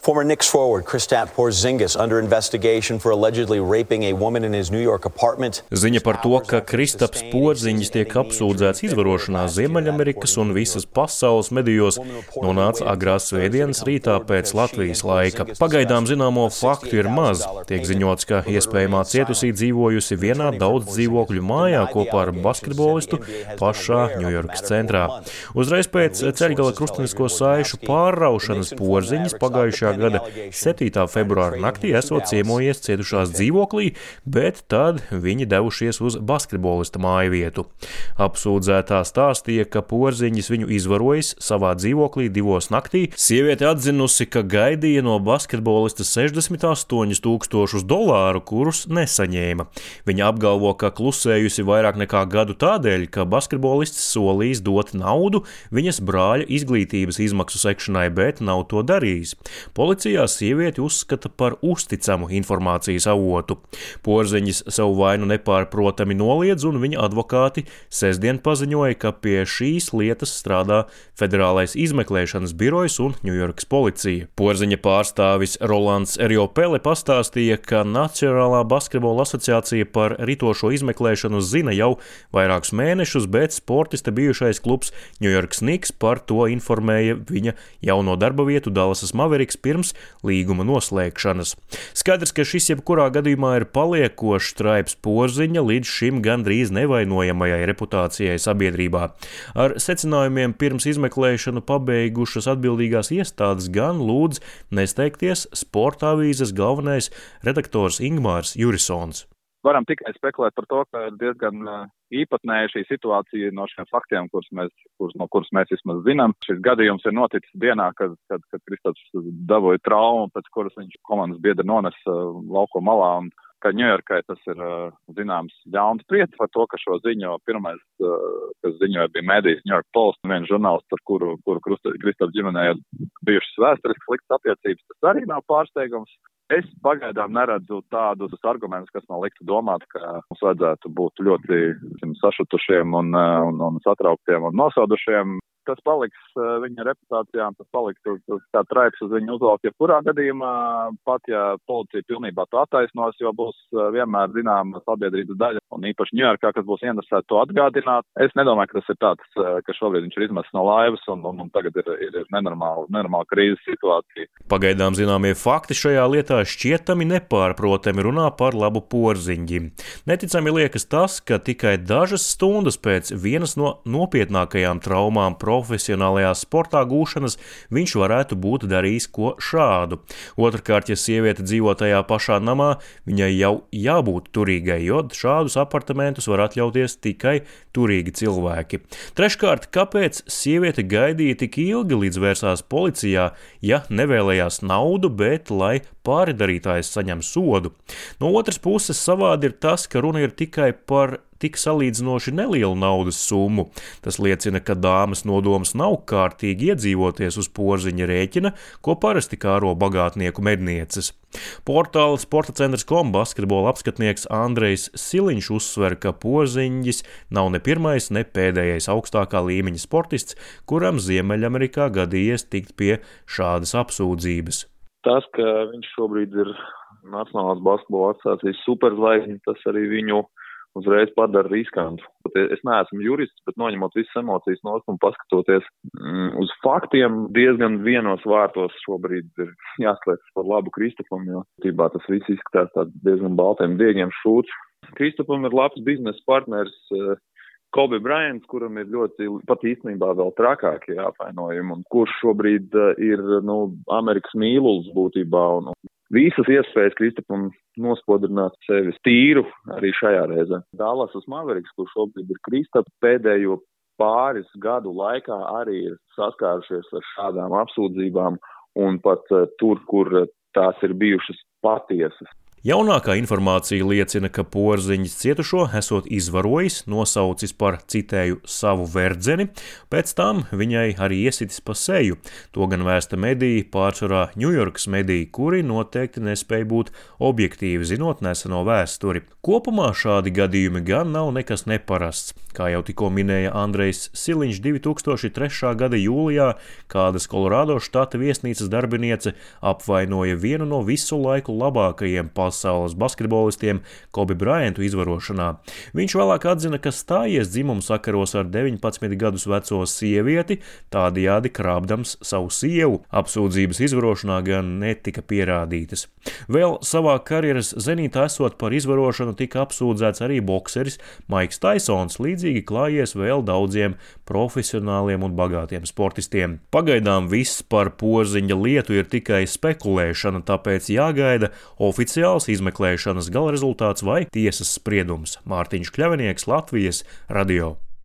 Former Knicks forward Kristaps Porzingis under investigation for allegedly raping a woman in his New York apartment. Ziņa par to, ka Kristaps Porziņģis tiek apsūdzēts izvarošanā Ziemeļamerikas un visas pasaules medijos, nonāca agrās svētdienas rītā pēc Latvijas laika. Pagaidām zināmo faktu ir maz. Tiek ziņots, ka iespējamā cietusī dzīvojusi vienā daudz dzīvokļu mājā kopā ar basketbolistu pašā Ņujorkas centrā. Uzreiz pēc Ceļgala krustenisko saišu pārraušanas Porziņģis pagājušajā gada 7. februāra naktī esot ciemojies cietušās dzīvoklī, bet tad viņi devušies uz basketbolista mājvietu. Apsūdzētā stāstīja, ka Porziņģis viņu izvarojis savā dzīvoklī 2 naktī. Sieviete atzinusi, ka gaidīja no basketbolista $68,000, kurus nesaņēma. Viņa apgalvo, ka klusējusi vairāk nekā gadu tādēļ, ka basketbolists solījis dot naudu viņas brāļa izglītības izmaksu sekšanai, bet nav to darījis. Policijā sievieti uzskata par uzticamu informācijas avotu. Porziņģis savu vainu nepārprotami noliedz, un viņa advokāti sestdien paziņoja, ka pie šīs lietas strādā Federālais izmeklēšanas birojs un Ņujorkas policija. Porziņa pārstāvis Rolands Eriopele pastāstīja, ka Nacionālā basketbola asociācija par ritošo izmeklēšanu zina jau vairākus mēnešus, bet sportista bijušais klubs Ņujorkas Knicks par to informēja viņa jauno darba vietu Dallasas Mavericks pirms līguma noslēgšanas. Skaidrs, ka šis jebkurā gadījumā ir paliekošs traips Porziņa līdz šim gandrīz nevainojamajai reputācijai sabiedrībā. Ar secinājumiem pirms izmeklēšanu pabeigušas atbildīgās iestādes gan lūdz nesteigties sporta avīzes galvenais redaktors Ingmārs Jurisons. Varam tikai spekulēt par to, ka ir diezgan īpatnēja šī situācija no šiem faktiem, kurus mēs vismaz zinām. Šis gadījums ir noticis dienā, kad Kristaps dabūja traumu, pēc kuras viņš komandas biedri nonesa lauko malā. Un ka Ņujorkai tas ir zināms ļauns prieks par to, ka šo ziņu pirmais, kas ziņoja, bija mēdījis New York Post, un viens žurnālists, ar kuru Kristaps ģimenē ir bijušas vēsturiski sliktas attiecības. Tas arī nav pārsteigums. Es pagaidām neredzu tādus argumentus, kas man liktu domāt, ka mums vajadzētu būt ļoti sašutušiem un satrauktiem un nosaudušiem. Tas paliks viņa reputācijām, tas paliks kā traips uz viņu uzvalkt. Jebkurā gadījumā, pat ja policija pilnībā to attaisnos, jo būs vienmēr zināma sabiedrības daļa, un īpaši Ņujorkā, kas būs interesēti to atgādināt. Es nedomāju, ka tas ir tāds, ka šobrīd viņš ir izmests no laivas un tagad ir nenormāla krīzes situācija. Pagaidām zināmie fakti šajā lietā šķietami nepārprotami runā par labu Porziņģim. Neticami liekas tas, ka tikai dažas stundas pēc vienas no nopietnākajām traumām profesionālajā sportā gūšanas viņš varētu būt darījis ko šādu. Otrkārt, ja sieviete dzīvo tajā pašā namā, viņai jau jābūt turīgai, jo šādus apartamentus var atļauties tikai turīgi cilvēki. Treškārt, kāpēc sieviete gaidīja tik ilgi, līdz vērsās policijā, ja nevēlējās naudu, bet lai pārdarītājs saņem sodu? No otras puses, savādi ir tas, ka runa ir tikai par tik salīdzinoši nelielu naudas summu. Tas liecina, ka dāmas nodoms nav kārtīgi iedzīvoties uz Porziņa rēķina, ko parasti kāro bagātnieku mednieces. Portāla sportacentrs.com basketbola apskatnieks Andrejs Siliņš uzsver, ka Porziņģis nav ne pirmais, ne pēdējais augstākā līmeņa sportists, kuram Ziemeļamerikā gadījies tikt pie šādas apsūdzības. Tas, ka viņš šobrīd ir Nacionālās basketbola asociācijas superzvaigzne, tas arī viņu uzreiz padara riskantu. Es neesmu jurists, bet noņemot visas emocijas nost un paskatoties uz faktiem, diezgan vienos vārtos šobrīd ir jāslēdz par labu Kristapam, jo tībā tas viss izskatās tāds diezgan baltiem diegiem šūts. Kristapam ir labs biznesa partners Kobe Bryants, kuram ir ļoti pat īstenībā vēl trakākie apvainojumi, un kurš šobrīd ir Amerikas mīlulis būtībā. Un visas iespējas Kristapam nospodrināt sevi tīru arī šajā reizē. Dallasas Mavericks, kur šobrīd ir Kristaps, pēdējo pāris gadu laikā arī ir saskārušies ar šādām apsūdzībām un pat tur, kur tās ir bijušas patiesas. Jaunākā informācija liecina, ka Porziņš cietušo esot izvarojis, nosaucis par, citēju, savu verdzeni, pēc tam viņai arī iesitis pa seju. To gan vēsta mediji, pārsvarā Ņujorkas mediji, kuri noteikti nespēja būt objektīvi, zinot neseno vēsturi. Kopumā šādi gadījumi gan nav nekas neparasts. Kā jau tikko minēja Andrejs Siliņš, 2003. gada jūlijā kādas Kolorādo štata viesnīcas darbiniece apvainoja vienu no visu laiku labākajiem pasaules basketbolistiem Kobe Bryantu izvarošanā. Viņš vēlāk atzina, ka stājies dzimumu sakaros ar 19 gadus veco sievieti, tādējādi krāpdams savu sievu. Apsūdzības izvarošanā gan netika pierādītas. Vēl savā karjeras zenītā esot par izvarošanu tika apsūdzēts arī bokseris Maiks Taisons, līdzīgi klājies vēl daudziem profesionāliem un bagātiem sportistiem. Pagaidām viss par Porziņa lietu ir tikai spekulēšana, tāpēc jāgaida oficiāls izmeklēšanas gala rezultāts vai tiesas spriedums. Mārtiņš Kļavinieks, Latvijas radio.